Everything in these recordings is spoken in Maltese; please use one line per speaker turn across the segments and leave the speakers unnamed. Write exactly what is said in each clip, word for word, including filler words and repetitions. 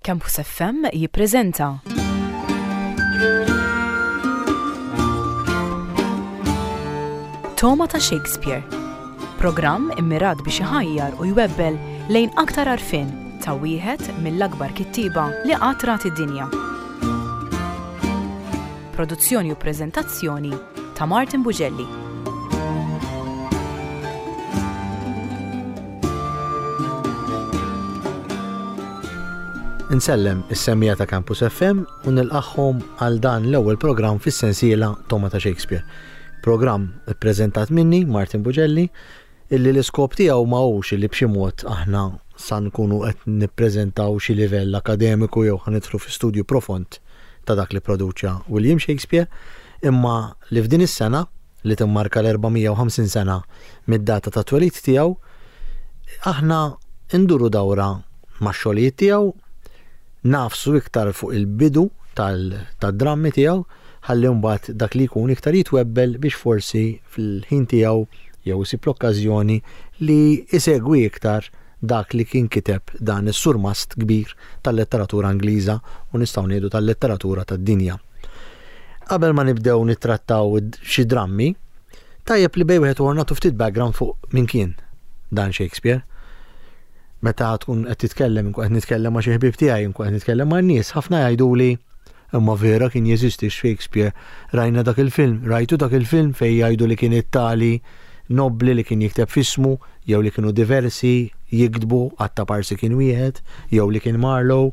Campus F M jippreżenta Togħma ta' Shakespeare. Programm immirat biex iħajjar u jwebbel lejn aktar għarfien ta' wieħed mill-akbar kittieba li qatt rat id-dinja. Produzzjoni u preżentazzjoni ta' Martin Bugelli.
Insellem is-semmiegħa ta' Campus F M u nilqagħhom għal dan l-ewwel programm fis-sensiela Togħma ta' Shakespeare. Programm ippreżentat minni, Martin Bugelli, illi l-iskop tiegħu ma hux illi b'xi mod aħna sa nkunu qed nippreżentaw xi livell akademiku jew ħa nidħlu fi studju profond ta' dak li produċa William Shakespeare, imma li f'din is-sena li timmarka l-erba' mija u ħamsin sena mid-data ta' twelid tiegħu, aħna nduru dawra max-xogħlijiet tiegħu, nagħfsu iktar fuq il-bidu tad-drammi tiegħu, ħalli mbagħad dak li jkun iktar jitwebbel biex forsi fil-ħin tiegħu jew isib l-okkażjoni li isegwi iktar dak li kien kiteb dan is-surmast kbir tal-letteratura Ingliża u nistgħu ngħidu tal-letteratura tad-dinja. Qabel ma nibdew nittrattaw xi drammi, tajjeb li bejn wieħed u nagħtu ftit background fuq min kien dan Shakespeare. Meta tkun qed titkellem, nkun qed nitkellem ma' xi ħbieb tiegħi, nkun qed nitkellem ma' nies, ħafna jgħiduli: "Imma vera kien jeżisti Shakespeare? Rajna dak il-film, rajtu dak il-film fejn jgħidu li kien it-tali nobli li kien jikteb f'ismu, jew li kienu diversi jiktbu għatta parsi kien wieħed, jew li kien Marlowe,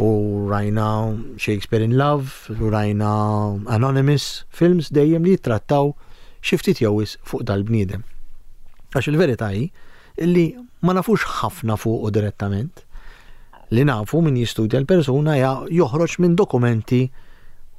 u rajna Shakespeare in Love, u rajna Anonymous, films dejjem li jittrattaw xi ftit jew fuq dal-bniedem." Għax il-verità hi illi ma nafux ħafna fuq u direttament. Li nafu min jistudja l-persuna joħroġ minn dokumenti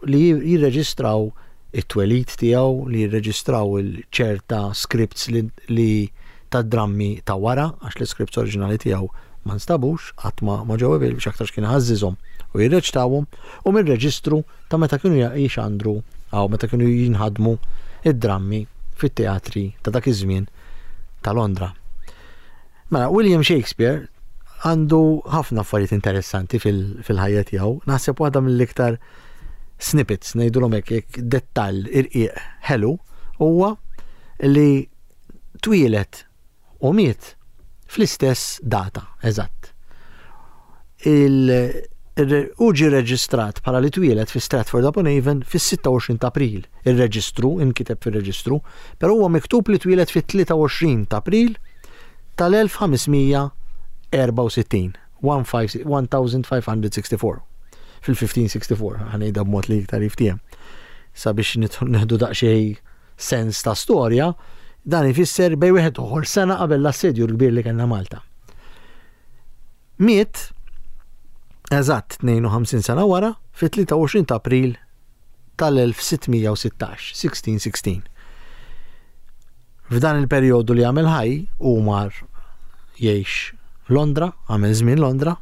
li jirreġistraw it-twelid tiegħu, li jirreġistraw il-ċerta scripts li, li ta' drammi ta' wara, għax l-scripts oriġinali tiegħu ma nstabux, qatt ma ma ġew biex aktarx kien ħażżiżhom u jirreċtawhom, u mir-reġistru ta' meta kienu jixandru għaw meta kienu jinħadmu id-drammi fit-teatri ta' dak iż-żmien ta' Londra. Mela, William Shakespeare għandu ħafna affarijiet interessanti fil-ħajja tiegħu. Naħseb waħda mill-iktar snippets, ngħidulhom hekk, dettall irqiq ħelu, huwa li twieled u miet fl-istess data, eżatt. U ġi reġistrat bħala li twieled fi Stratford upon Avon fis-sitta u għoxrin ta' April. Il-reġistru, inkiteb fil-reġistru, però huwa miktub li twieled fit-tlieta u għoxrin ta' April tal-elf ħames mija erbgħa u sittin, elf ħames mija erbgħa u sittin, fil-elf ħames mija erbgħa u sittin, ħa ngħidha b'mod li iktar jiftiehem. Sabiex nieħdu daqsxejn sens ta' storja, dan ifisser bejn wieħed uħor sena qabel l-assedju l-kbir li kellna Malta. Miet eżatt tnejn u ħamsin sena wara fit-tlieta u għoxrin ta' April tal-elf sitt mija u sittax, elf sitt mija u sittax. F'dan il-perjodu li għamel ħaj u mar jgħix Londra, għamel żmien Londra.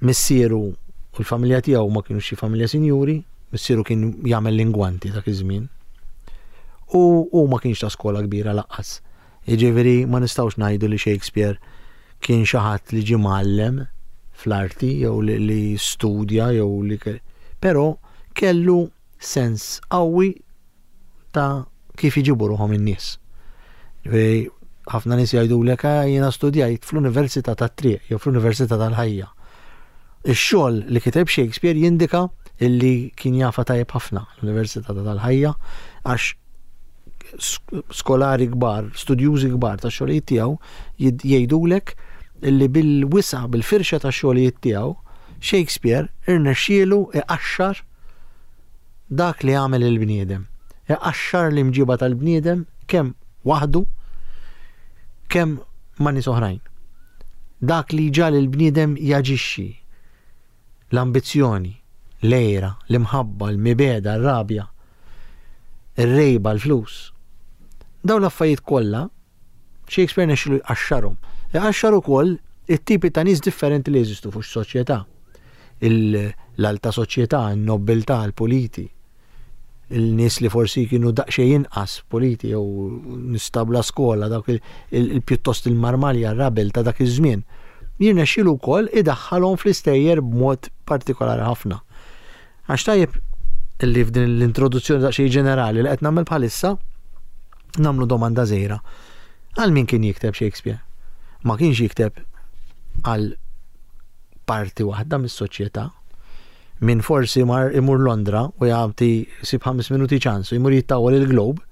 Missieru u l-familja tiegħu ma kienu xi familja sinjuri, missieru kien jagħmel l-ingwanti dak iż-żmien. U u ma kienx ta' skola kbira lanqas. Jiġifieri ma nistgħux ngħidu li Shakespeare kien xi ħadd li ġie mgħallem fl-arti jew li, li studja jew li, però kellu sens qawwi ta' kif iġibu ruħhom in-nies. Ġifieri ħafna nies jgħidulek: "Ah, jiena studjajt fl-Università tat-Triq jew fl-Università tal-Ħajja." Ix-xogħol li kiteb Shakespeare jindika illi kien jafa tajjeb ħafna l-Università tal-Ħajja, għax skolari kbar, studjużi kbar ta' xogħlijiet tiegħu jgħidulek illi bil-wisa, bil-firxa ta' xogħlijiet tiegħu, Shakespeare irnexxielu iqaxxar dak li għamel il-bniedem. Iqaxxar l-imġiba tal-bniedem kemm waħdu, kemm ma' nies oħrajn. Dak li ġal il-bniedem jaġixxi, l-ambizzjoni, l-għira, l-imħabba, l-mibegħda, r-rabja, ir-rejba, l-flus. Dawn l-affarijiet kollha Shakespeare nexxielu jqaxxarhom. Iqaxxar ukoll it-tipi ta' nies differenti li jeżistu fuq soċjetà. L-alta soċjetà, n-nobiltà, l-puliti. Il-nies li forsi kienu daqsxejn inqas puliti jew nies ta' bla skola, dawk il-pjuttost il-marmalja, r-rabel ta' dak iż-żmien. jirnexxielu wkoll idaħħalhom fl-istejjer b'mod partikolari ħafna. Għax tajjeb illi f'din l-introduzzjoni daqsxejn ġenerali li qed nagħmel bħalissa nagħmlu domanda żgħira. Għal min kien jikteb Shakespeare? Ma kienx jikteb għal parti waħda mis-soċjetà. Min forsi mar imur Londra u jagħti sib ħames minuti ċans u jmur jittawwal il-Globe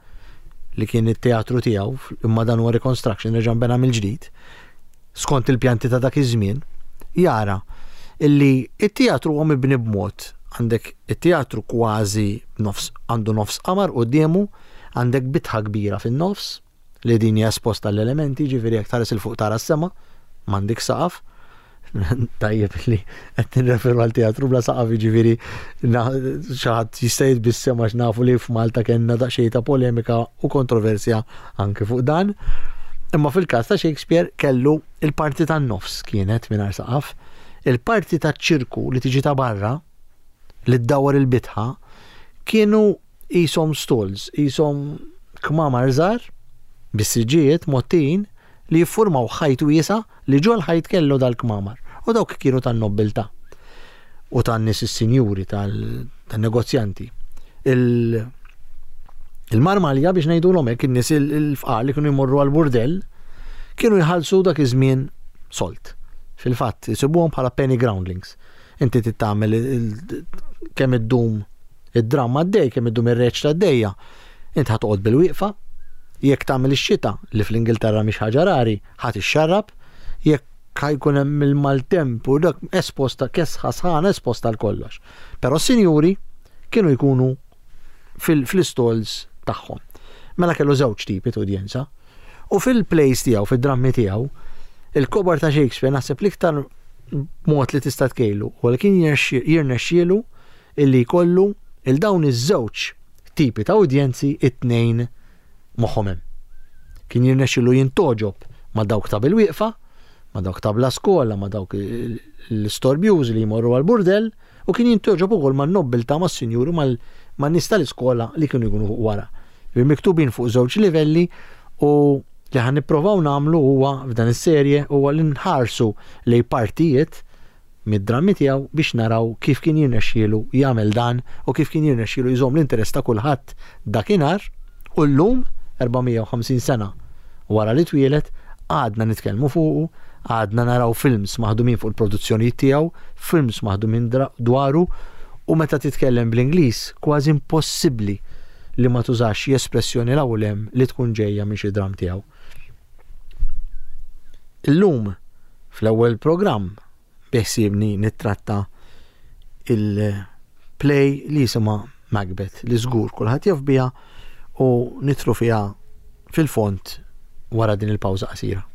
li kien it-teatru tiegħu, imma dan huwa reconstruction, reġa' nbena mill-ġdid skont il-pjanti ta' dak iż-żmien, jara illi it-teatru huwa mibni b'mod, għandek it-teatru kważi nofs, għandu nofs qamar quddiemu, għandek bitħa kbira fin-nofs li din hija esposta l-elementi, ġifieri jekk tħares il fuq tara s-sema, m'għandek saqaf. Tajjeb li qed nirreferu għal teatru bla saqaf, jiġifieri xi ħadd jista' jitbissem għax nafu li f'Malta kellna daqsxejn ta' polemika u kontroversja anke fuq dan. Imma fil-każ ta' Shakespeare kellu il-parti tan-nofs kienet mingħajr saqaf, il-parti taċ-ċirku li tiġi ta' barra li ddawwar il-bitħa kienu qishom stalls, qishom kmamar żgħar bis-siġġijiet mgħottijin li jiffurmaw ħajt wiesa' li ġol ħajt kellu dal-kmamar. U dawk kienu tan-nobbiltà u tan-nies is-sinjuri, tan-negozjanti. Il-marmalja biex ngħidulhom hekk, in-nies il-fqar li kienu jmorru għall-burdell kienu jħallsu dak iż-żmien solt. Fil-fatt, isibuhom bħala penny groundlings. Inti trid tagħmel kemm iddum id-dramma għaddej, kemm iddum ir-reċta għaddejja. Inti ħa toqgħod bil-wieqfa, jekk tagħmel ix-xita li fl-Ingilterra mhix ħaġa rari, ħadd ixxarrab, jekk ħajkun hemm il-maltemp u dak esposta kesħa sħana esposta għal kollox. Però s-sinjuri kienu jkunu fil-stalls tagħhom. Mela kellu żewġ tipi ta' udjenza. U fil-plays tiegħu, fid-drammi tiegħu, il-kobar ta' Shakespeare naħseb l-iktar mod li tista' tkejlu u li kien jirnexxielu illi jkollu il dawn iż-żewġ tipi ta' udjenzi it-tnejn moħħom hemm. Kien jirnexxielu jintoġob ma' dawk ta' bil-wieqfa, ma' dawk ta' bla skola, ma' dawk l-istorbjużi li jmorru għal-burdell, u kien jintoġob ukoll man-nobbiltà, mas-sinjuri, man-nies tal-iskola li kienu jkunu fuq wara. Miktubin fuq żewġ livelli, u li ħan nipprovaw nagħmlu huwa f'dan is-serje huwa li nħarsu lej partijiet mid-drammi tiegħu biex naraw kif kien jirnexxielu jagħmel dan u kif kien jirnexxielu jżomm l-interess ta' kulħadd dakinhar u llum erba' mija u ħamsin sena wara li twieled għadna nitkellmu fuqu, għadna naraw films maħdumin fuq il-produzzjonijiet tiegħu, films maħdumin dwaru, u meta titkellem bl-Ingliż kważi impossibbli li ma tużax xi espressjoni l hawn hemm li tkun ġejja minn xi dramm tiegħu. Illum fl-ewwel programm beħsiebni nittratta il-play li jisimha Macbeth, li żgur kulħadd jaf biha u nitru fiha fil-fond wara din il-pawża qasira.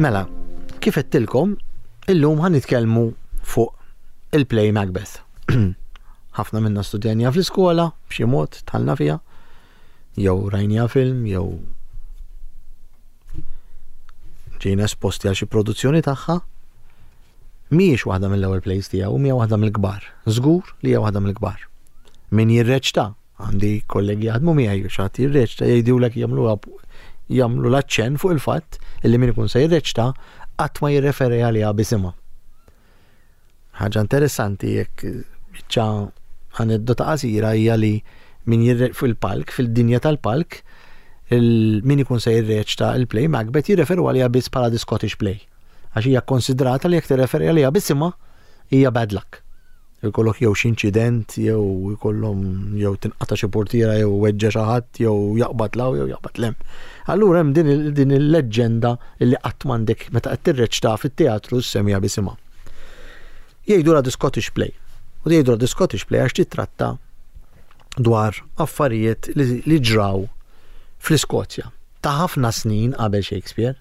Mela, kif għedtilkom, illum ħan nitkellmu fuq il-play Macbeth. Ħafna minna studjanja fl-iskola, b'xi mod tħallna fiha, jew rajnija film, jew ġejna esposti għal xi produzzjoni tagħha. Mhijiex waħda mill-ewwel plays tiegħu, hija waħda mill-kbar. Żgur li hija waħda mill-kbar. Min jirreċta, għandi kollegi jaħdmu miegħi, xi ħadd jirreċta jgħidulek jagħmluha jagħmlu l-aċċenn fuq il-fatt illi min ikun se jirreċta qatt ma jirreferi għaliha bisimha. Ħaġa interessanti jekk biċċa aneddota qasira hija li min jirre fil-palk, fil-dinja tal-palk, min ikun se jirreċta il-play Macbeth jirreferu għaliha biss bħala the Scottish play. Għax hija konsidrata li jekk tirreferi għaliha bisimha hija bad luck. Jkollok jew xi inċident, jew jkollhom jew tinqata' xi portiera, jew weġġa' xi ħadd, jew jaqbad law, jew jaqbad lem. Allura hemm din il-, din il-leġġenda li qatt m'għandek meta qed tirreċta fit-teatru ssemmiha bisimha. Jgħidulha the Scottish play. U jgħidulha the Scottish play għax titratta dwar affarijiet li, li ġraw fl-Iskozja ta' ħafna snin qabel Shakespeare,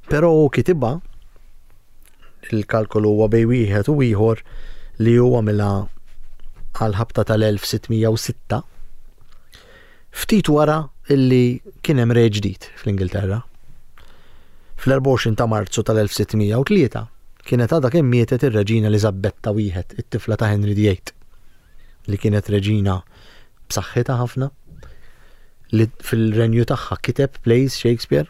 però hu kitibha Il-kalkolu huwa bejn wieħed u ieħor li huwa għamilha għal-ħabta tal-elf sitt mija u sitta, ftit wara illi kien hemm re ġdid fl-Ingilterra. Fl-erbgħa u għoxrin ta' Marzu tal-elf sitt mija u tlieta kienet għadha kemm mietet ir-Reġina Eliżabetta wieħed, it-tifla ta' Henry the Eighth, li kienet reġina b'saħħitha ħafna, li fil-renju tagħha kiteb plays Shakespeare.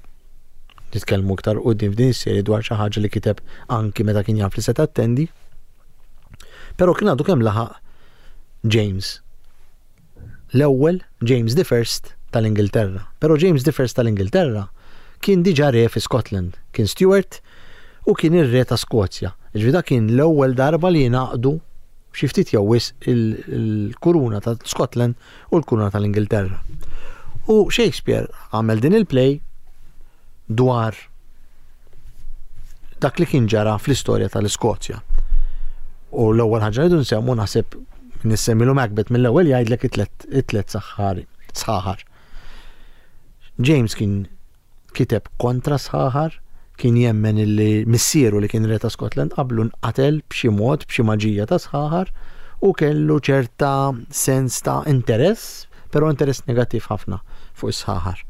Nitkellmu iktar quddiem f'din is-serje dwar xi ħaġa li kiteb anki meta kien jaf li se tattendi. Però kien għadu kemm laħaq James l-ewwel, James the First tal-Ingilterra. Però James the First tal-Ingilterra kien diġà re fi Scotland, kien Stuart u kien ir-re ta' Skozja. Ġifieri dak kien l-ewwel darba li jingħaqdu xi ftit jew wisq il-kuruna ta' Scotland u l-kuruna tal-Ingilterra. U Shakespeare għamel din il-play dwar dak li kien ġara fl-istorja tal-Iskozja. U l-ewwel ħaġa li nsemmu, naħseb nissemmilu Macbeth, mill-ewwel jgħidlek it-tlet saħħari, sħaħar. James kien kiteb kontra sħaħar, kien jemmen illi missieru, li kien re ta' Scotland qablu, nqatel b'xi mod, b'xi maġija ta' sħaħar, u kellu ċerta sens ta' interess, però interess negattiv ħafna fuq is-sħaħar.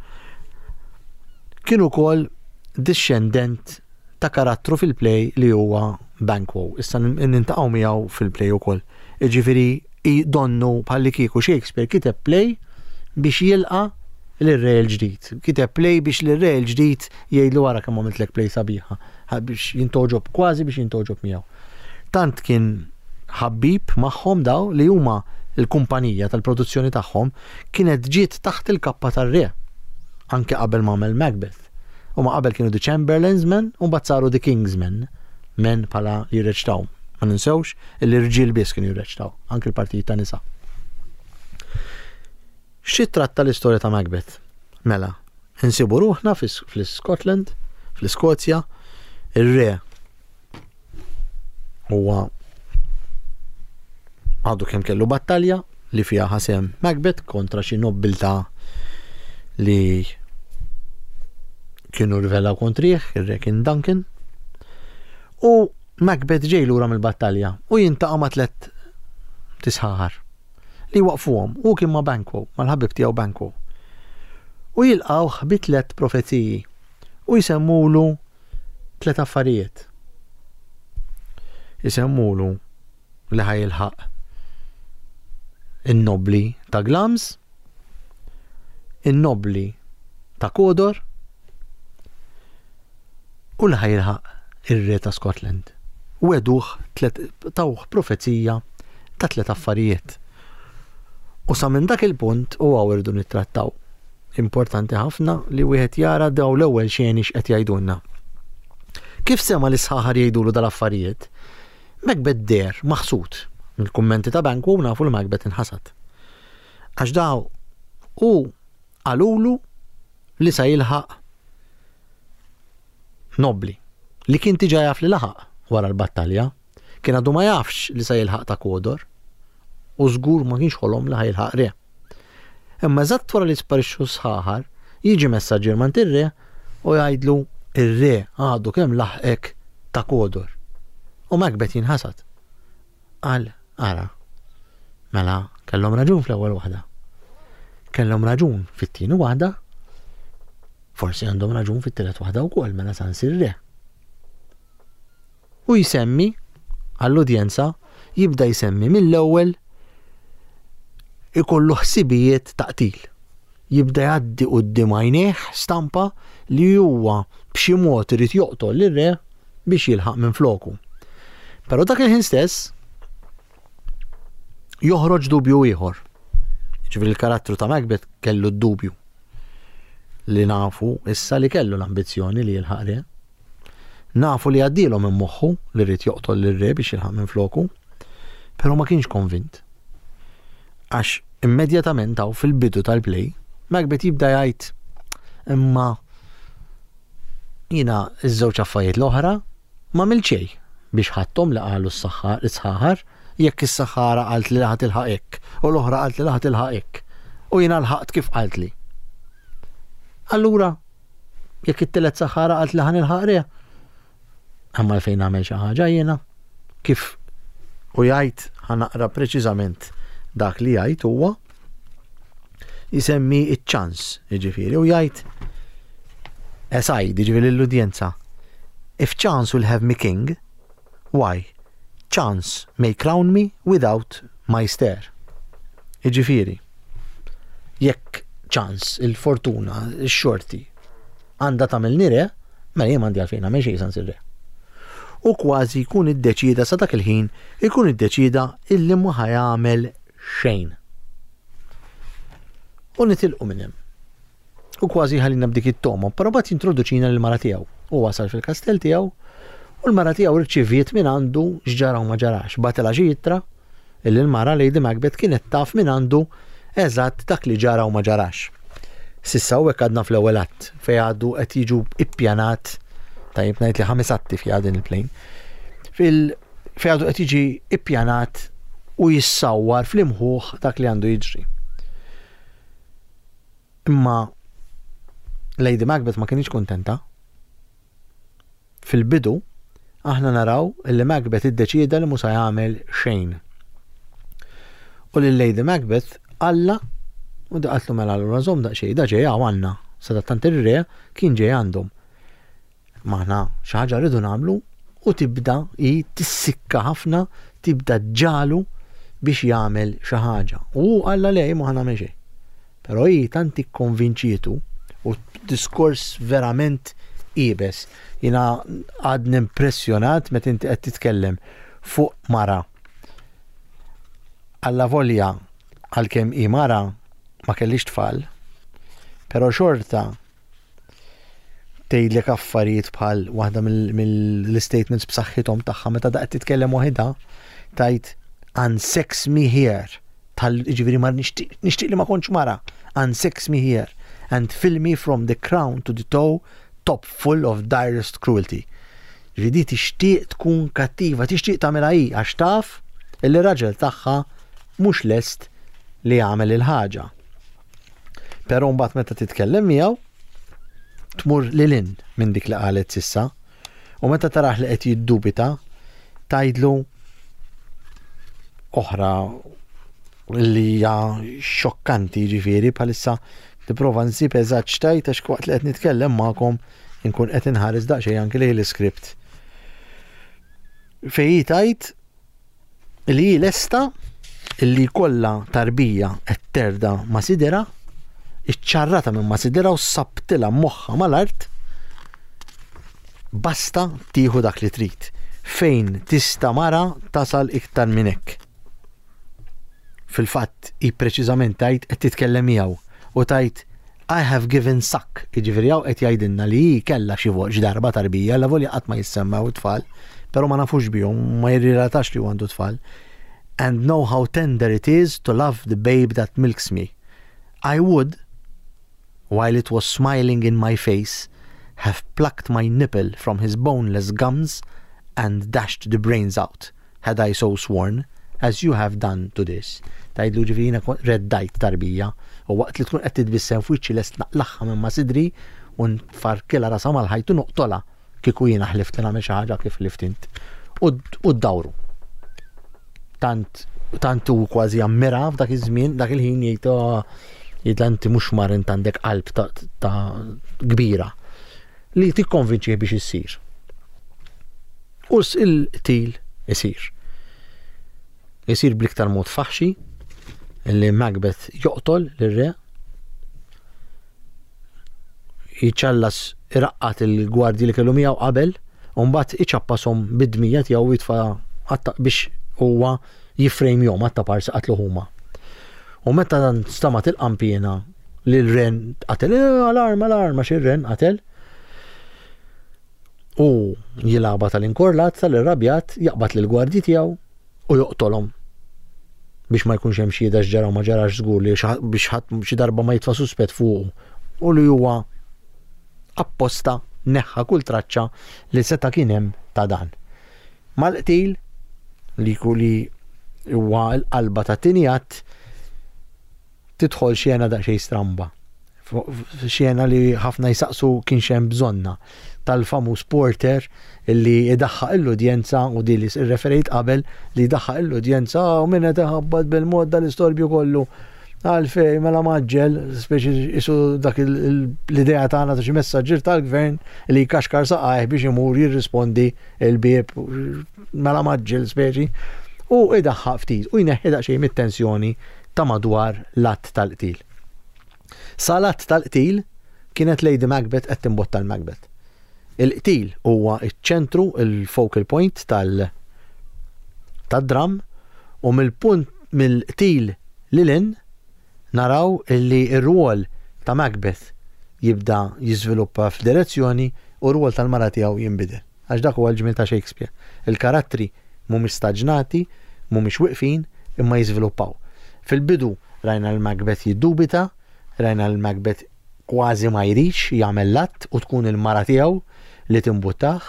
Kien ukoll discendent ta' karattru fil-play li huwa Banquo. Issa niltaqgħu miegħu fil-play ukoll. Jiġifieri donnu bħalli kieku Shakespeare kiteb play biex jilqa' l-re l-ġdid. Kiteb play biex l-re l-ġdid jgħidlu, "Wara kemm għamiltlek play sabiħa", biex jintgħoġob, kważi biex jintgħoġob miegħu. Tant kien ħabbib magħhom daw li huma l-kumpanija tal-produzzjoni tagħhom kienet ġiet taħt il-kappa tar-re anke qabel ma għamel Macbeth. U ma qabel kienu The Chamberlain's Men u mbagħad saru The King's Men, men bħala li jirreċtaw. Ma ninsewx li rġiel biss kienu jirreċtaw, anke l-partijiet ta' nisa. Xi tratta l-istorja ta' Macbeth? Mela, insibu ruħna fl-Scotland, fl-Iskozja, ir-re huwa għadu kemm kellu battalja li fiha ħa sehem Macbeth kontra xi nobbiltà li kienu rivelaw kontrih, ir-re kien Duncan. U Macbeth ġej lura mill-battalja u jiltaqa' ma' tlet tisħaħar li waqfuhom, u kien ma' Banquo, mal-ħabib tiegħu Banquo. U jilqawh bi tlet profeziji u jsemmulu tlet affarijiet. Isemmulu li ħa jilħaq in-nobli ta' Glamis, in-nobli ta' Cawdor u li ħa jilħaq ir-re ta' Scotland. Wegħduh, tawh profezija ta' tlet affarijiet. U sa minn dak il-punt u hawn irridu nittrattaw. Importanti ħafna li wieħed jara daw l-ewwel xeni x'qed jgħidulna. Kif sema li sħaħar jgħidulu dal-affarijiet, Macbeth deher maħsud. Mill-kummenti ta' Banquo nafu li Macbeth inħasad. Għax daw u qalulu li sa jilħaq nobli li kien diġà jaf li laħaq wara l-battalja, kien għadu ma jafx li sa jilħaq ta' Cawdor u żgur ma kienx ħolom li ħa jilħaq re. Imma eżatt wara li sparixxu sħaħar, jiġi messaġġier mingħand ir-re u jgħidlu, "Ir-re għadu kemm laħqek ta' Cawdor." U Macbeth jinħasad. Qal, "Ara, mela kellhom raġun fl-ewwel waħda. Kellhom raġun fit-tieni waħda, forsi għandhom raġun fit-tielet waħda wkoll, mela sa nsir re." U jsemmi għall-udjenza, jibda jsemmi mill-ewwel ikollu ħsibijiet ta' qtil. Jibda jgħaddi quddiem għajnejh stampa li huwa b'xi mod irid joqtol lir-re biex jilħaq minn floku. Però dak il-ħin stess joħroġ dubju ieħor. Ġifieri il-karattru ta' Macbeth kellu d-dubju li nafu issa li kellu l-ambizzjoni li jilħaq re. Nafu li għaddielu minn moħħu li rrid joqtol lir-re biex jilħaq minn floku, però ma kienx konvint. Għax immedjatament hawn fil-bidu tal-play, Macbeth jibda jgħid, "Imma jiena iż-żewġ affarijiet l-oħra ma xejn biex ħadthom li qalu s-sħaħar, jekk is-saħħara qalt li ħa tilħaq hekk u l-oħra qalt li ħa tilħaq hekk u jiena lħaqt kif qalt li. Allura jekk it-tielet saħħara qalt li ħa nilħaq re, Għamma fejn nagħmel xi ħaġa jiena kif u jgħid, ħa naqra preċiżament dak li jgħid. Huwa jisemmi iċ-ċans, jiġifieri, u jgħid aside, jiġifieri l-udjenza: "If chance will have me king, why, chance may crown me without my stair." Jiġifieri, jekk ċans, il-fortuna, il-xorti, għandha tagħmilni re, mela jien m'għandi għalfejn nagħmel xejn sans ir-re. U kważi jkun iddeċida sa dak il-ħin, ikun iddeċida illi ma ħa jagħmel xejn. U nitilqu minn hemm. U kważi ħallina b'dik it-toma, però mbagħad jintroduċina l-mara tiegħu. U wasal fil-kastell tiegħu u l-mara tiegħu rċiviet minn għandu x'ġara u ma ġarax. Bagħtilha xi ittra illi l-mara, Lady Macbeth, kienet taf minn għandu eżatt dak li ġara u ma ġarax. S'issa u għadna fl-ewwel att fej għadu qed jiġu ippjanat, tajjeb ngħid li ħames atti fiha din il-play. Fil fej għadu qed jiġi ippjanat u jissawwar fl-imħuħ dak li għandu jiġri. Imma Lady Macbeth ma kienx kontenta. Fil-bidu, aħna naraw li Macbeth iddeċieda li mhux jagħmel xejn. U lil Lady Macbeth alla u qaltlu: "Mela allura żomm daqsxejn, da ġej għandna." Sadattant ir-re kien ġej għandhom. Maħna xi ħaġa rridu nagħmlu, u tibda hi tissikka ħafna, tibda ġalu biex jagħmel xi ħaġa. U alla le, ma ħa nagħmel xejn. Però hi tant ikkonvinċietu u diskors verament iebes. Jiena għadni impressjonat meta inti qed titkellem fuq mara. Alla volja għalkemm hi mara ma kellix tfal, però xorta tgħidlek affarijiet bħal waħda mill-statements b'saħħithom tagħha meta daqt titkellem waħedha, tgħid: "Unsex me here", tal ġifieri ma nixtieq li ma kontx mara, "Unsex me here and fill me from the crown to the toe top full of direst cruelty." Ġifieri tixtieq tkun kattiva, tixtieq tagħmilha hi għax taf illi raġel tagħha mhux lest li jagħmel il-ħaġa. Però mbagħad meta titkellem miegħu tmur lil hinn minn dik li qalet s'issa u meta taraħ li qed jiddubita tgħidlu oħra li hija xokkanti. Ġifieri bħalissa nipprova nsib eżatt x'tgħid għax waqt li qed nitkellem magħkom inkun qed inħares daqsxejn anke lejn l-iskript. Fej tgħid li hi lesta illi kollha tarbija qed terda ma' sidera, iċċarrata minn ma' sidera u sabtilha moħħa mal-art, basta tieħu dak li trid. Fejn tista' mara tasal iktar minn hekk? Fil-fatt, i preċiżament tgħid, qed titkellem miegħu u tgħid: "I have given suck", jiġifieri hawn qed jgħidilna li hi kellha xi xi darba tarbija, la volja qatt ma jissemmew tfal, però ma nafux bihom, ma jirrilatax li għandu tfal. "And know how tender it is to love the babe that milks me. I would, while it was smiling in my face, have plucked my nipple from his boneless gums and dashed the brains out, had I so sworn, as you have done to this." Tgħidlu ġifieri jiena reddajt tarbija u waqt li tkun qed titbissem f'wiċċi lest naqlagħha minn ma' sidri u nfarkilha rasha mal-ħajt u noqtolha kieku jiena ħlift li nagħmel xi ħaġa kif ħlift int. U ddawru. Tant tant u kważi ammira f'dak iż-żmien, dak il-ħin jgħid, oh, jgħid inti mhux mar, int għandek qalb ta' kbira li tikkonvinċih biex issir. U il-qtil isir. Isir bl-iktar mod faħxi li Macbeth joqtol lir-re, jiċċallas, iraqqat il-gwardji li kellu miegħu qabel u mbagħad iċappasom bid-dmija tiegħu, jitfa' biex huwa jiffrejmjhom għatta parsi qatlu huma. U meta dan stamat il-qampina li l-re qatel, eh, alarm, alarm, għax ir-re qatel. U jilgħabha tal-inkorlat, tal-irrabjat, jaqbad lill-gwardji tiegħu u joqtolhom biex ma jkunx hemm xhieda x'ġara u ma ġarax, żgur li biex ħadd xi darba ma jitfa' suspett fuqu u li huwa apposta neħħa kull traċċa li seta' kien hemm ta' dan. Mal-qtil li li huwa l-qalba ta' tieni att tidħol xena daqsxejn stramba. Xena li ħafna jisaqsu kien hemm bżonnha tal-famuż porter li idaħħaq l-udjenza u di li referejt qabel li jdaħħaq l-udjenza u minn qed iħabbat bil-mod dal-istorbju kollu. Għalfej, mela maġġel, speċi isu dak l-idea tagħna ta' xi messaġġier tal-gvern li jkaxkar saqajh biex imur jirrispondi il-bieb, mela maġġel speċi, u idaħħaq ftit u jneħħi daqsxejn mit-tensjoni ta' madwar l-att tal-qtil. Sal-att tal-qtil kienet Lady Macbeth qed timbotta l-Macbeth. Il-qtil huwa iċ-ċentru, il-focal point tal- tad-dram, u mill-punt mill-qtil lil hinn naraw illi r-rwol ta' Macbeth jibda jiżviluppa f'direzzjoni u r-rwol tal-mara tiegħu jinbidel. Għax dak huwa l-ġmiel ta' Shakespeare. Il-karattri mhumiex staġnati, mhumiex wiqfin, imma jiżviluppaw. Fil-bidu rajna l-Macbeth jiddubita, rajna l-Macbeth kważi ma jridx jagħmel l-att u tkun il-mara tiegħu li timbuttah.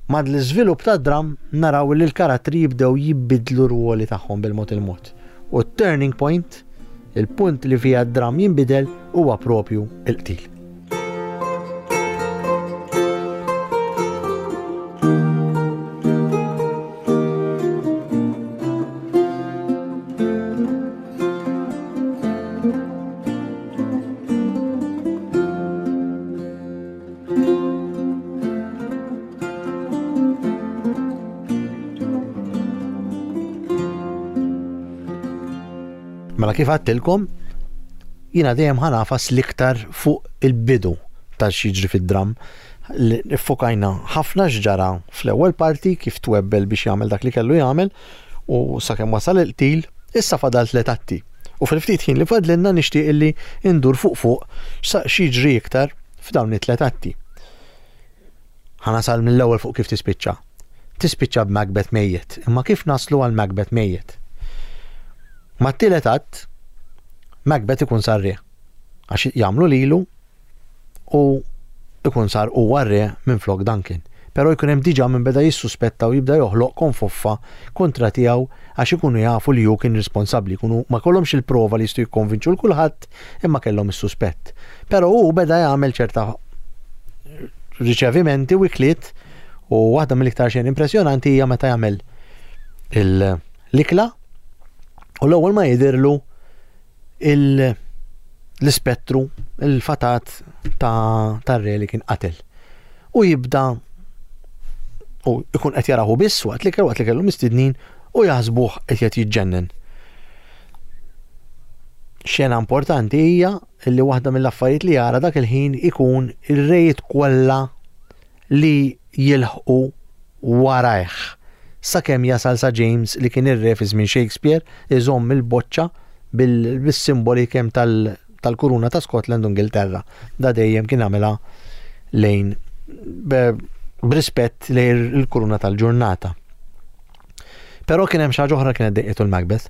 Mad l-iżvilupp tad-dram naraw li l-karattri jibdew jibidlu r-rwoli tagħhom bil-mod il-mod. U t-turning point, il-punt li fija d-dram jinbidel, huwa propju il-qtil. Mela kif għedtilkom, jiena dejjem ħanafas l-iktar fuq il-bidu ta' x'jiġri fid-dram. Iffokajna ħafna x'ġara fl-ewwel parti, kif twebbel biex jagħmel dak li kellu jagħmel u sakemm wasal il-qtil, issa fadal tliet atti. U fil-ftit ħin li fadlilna nixtieq illi ndur fuq fuq x'jiġri iktar f'dawn it-tliet atti. Ħanasal mill-ewwel fuq kif tispiċċa. Tispiċċa b'Macbeth mejjet, imma kif naslu għal Macbeth mejjet? Ma t-tielet att, Macbeth ikun sar re, għax jagħmlu lilu u ikun sar huwa re minn flok Duncan. Però jkun hemm diġà minn beda jissuspetta u jibda joħloq konfoffa kontra tiegħu għax ikunu jafu li hu kien responsabbli, jkunu ma kellhomx il-prova li jistgħu jikkonvinċu l kulħadd imma kellhom is-suspett. Però hu beda jagħmel ċerta riċevimenti u ikliet, u waħda mill-iktar xejn impressjonanti hija meta jagħmel l-ikla u l-ewwel ma jidhirlu l-ispettru, il-fatat ta' tar-re li kien qatel. U jibda u ikun qed jarahu biss waqt li kellu waqt li kellu mistednin u jaħsbuh qed qed jiġġennen. Xena importanti hija li waħda mill-affarijiet li jara dak il-ħin ikun ir-rejiet kollha li jilħqu warajh. Sakemm jasal sa James li kien ir-re fi żmien Shakespeare iżomm il-boċċa bil-simboli kemm tal-kuruna ta' Scotland u Ingilterra. Da dejjem kien għamilha lejn b'rispett lejn il-kuruna tal-ġurnata. Però kien hemm xi ħaġa oħra kienet dejqitu l-Macbeth.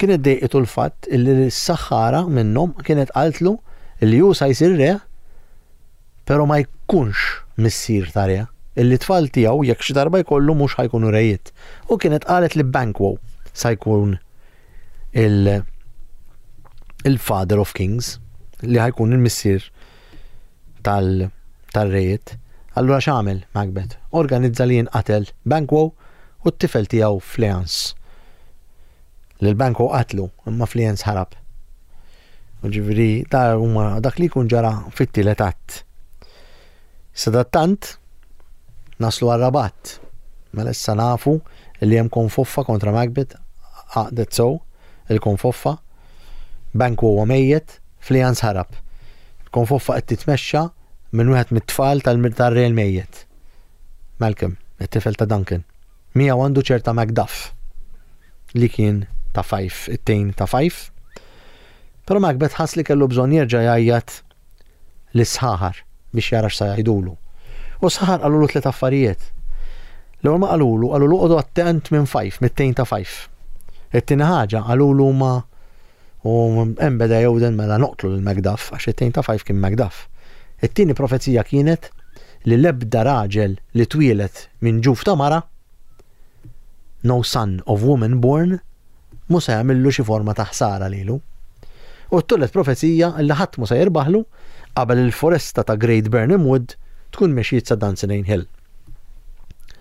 Kienet dejqitu l-fatt li s-saħħara minnhom kienet qaltlu li hu sa jsir re, però ma jkunx missier ta' re, illi tfal tiegħu jekk xi darba jkollu mhux ħajkunu rejiet. U kienet qalet li Banquo sa jkun il-Father of Kings, li ħajkun il-missier tal-rejiet. Allura x'għamel Macbeth? Organizza li jinqatel Banquo u t-tifel tiegħu Fleance. Lil Banquo qatlu, imma Fleance ħarab. U ġifieri da huma dak li jkun ġara fit-tielet att. Sadattant naslu għar-rabat. Mela issa nafu li hemm konfoffa kontra Macbeth, għaqdet sew il-konfoffa, Banquo huwa mejjet, Fleance ħarab. Il-konfoffa qed titmexxa minn wieħed mit-tfal tal-re l-mejjet, Malcolm, it-tifel ta' Duncan. Miegħu għandu ċerta Macduff li kien ta' Fife, it-tejn ta' Fife. Però Macbeth ħass li kellu bżonn jerġa' jgħajjat lis-sħaħar biex jara x'sa jgħidulu. U sħaħar qalulu tliet affarijiet. L-ewwel ma qalulu, qalulu qogħdu attent minn Fife, mit-tejn ta' Fife. It-tieni ħaġa qalulu ma u hemm beda jewden mela noqtlu lil Macduff għax it-tejn ta' Fife kien Macduff. It-tieni profezija kienet li l-ebda raġel li twieled minn ġuf ta' mara, no son of woman born, mhu se jagħmillu xi forma ta' ħsara lilu. U t-tielet profezija li ħadd mu se jirbaħlu qabel il-foresta ta' Great Burnham Wood tkun mexiet sa Dunsinane Hill.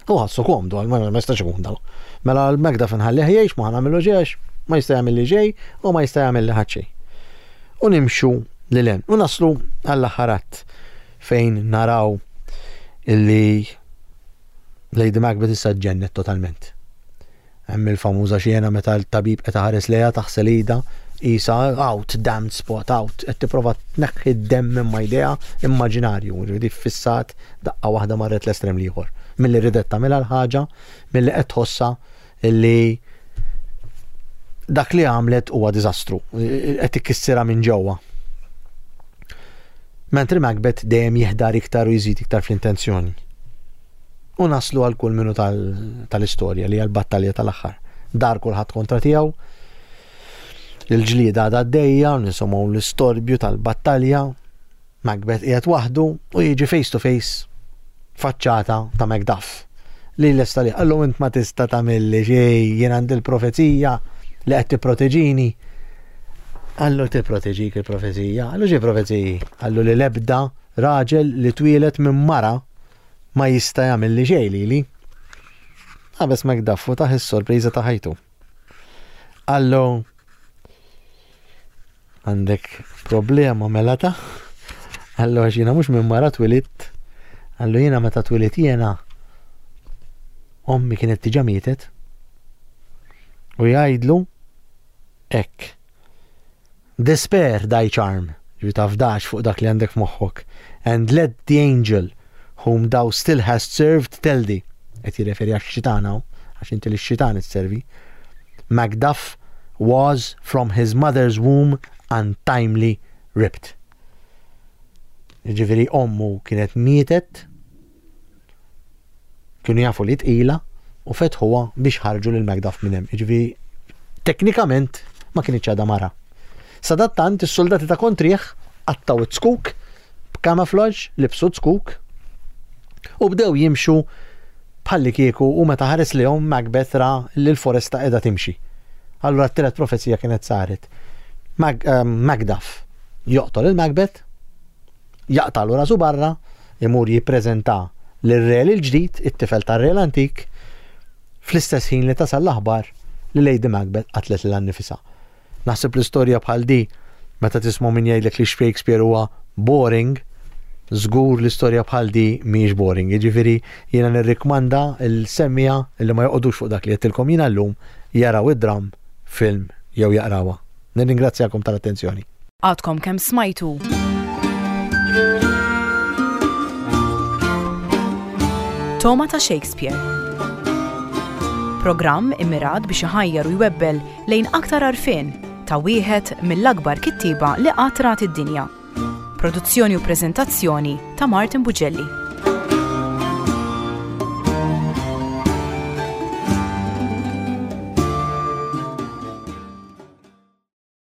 U ħassu komdu, għal ma jistax ikun daw. Mela l-Macduff nħallih jgħix, ma ħa nagħmillu ġiex, ma jista' jagħmel li ġej u ma jista' jagħmel li ħadd xejn. U nimxu lil hemm. U naslu għall-aħħar att fejn naraw illi Lady Macbeth issa ġennet totalment. Hemm il-famuża xena meta l-tabib qed iħares lejha taħsel idha isa out, damned spot, out, qed tipprova tneħħi d-demm minn ma idea immaġinarju, ġifieri fissat daqqa waħda marret l-estrem l-ieħor. Milli ridet tagħmilha l-ħaġa, milli qed tħossa illi dak li għamlet huwa diżastru, qed ikissirha minn ġewwa. Mentri Macbeth dejjem jiħdar iktar u jżid iktar fl-intenzjoni. U naslu għal kull minu tal-istorja li għal-battalja tal-aħħar. Dar kulħadd kontra tiegħu, il-ġlieda għadha għaddejja, nisimgħu l-istorbju tal-battalja, Macbeth qiegħed waħdu u jiġi face to face faċċata ta' Macduff. Li lesta li qallu int ma tista' tagħmilli xejn, jien għandi l-profezija li qed tipproteġini. Qallu tipproteġik il-profezija, qallu xi profeziji? Qallu li l-ebda raġel li twieled minn mara ma jista' jagħmel li xejn lili. Qabeż Macduff u tah is-sorpriża ta' ħajtu. Qallu għandek problema mela ta' Qallu għax jiena mhux minn mara twilidt. Qallu jiena meta twilidt jiena ommi kienet diġà mietet. U jgħidlu hekk. Despair thy charm, ġi tafdax fuq dak li għandek f'moħħok. And let the angel whom thou still hast served tell thee. Qed jirreferi għax-xitan hawn, għax inti li x-xitan isservi. Macduff was from his mother's womb untimely ripped. Ġifieri ommu kienet mietet, kienu jafu li tqila u fetħuha biex ħarġu lil Macduff minn hemm. Ġifieri teknikament ma kienx għadha mara. Sadattant is-soldati ta' kontrih qattgħu it-zkuk b'camouflage, libsu zkuk u bdew jimxu bħalli kieku u meta ħares lejhom Macbeth ra li l-foresta qiegħda timxi. Allura t-tielet profezija kienet saret. Mag, um, Macduff joqtol il-Macbeth, jaqtalu rasu barra, imur jippreżenta lir-re l-ġdid, it-tifel tar-re l-antik, fl-istess ħin li tasal l-aħbar li Lady Macbeth qatlet lilha nnifisha. Naħseb l-istorja bħal di meta tisma' min jgħidlek li Shakespeare huwa boring, żgur l-istorja bħal di mhijiex boring. Jiġifieri jiena nirrikmanda l-semmiegħa li ma joqogħdux fuq dak li għedtilkom jiena llum jaraw id-dram, film jew jaqrawha. Nirringrazzjakom tal-attenzjoni.
Għadkom kemm smajtu Togħma ta' Shakespeare. Programm immirat biex iħajjar u jwebbel lejn aktar għarfien ta' wieħed mill-akbar kittieba li qatt rat id-dinja. Produzzjoni u preżentazzjoni ta' Martin Bugelli.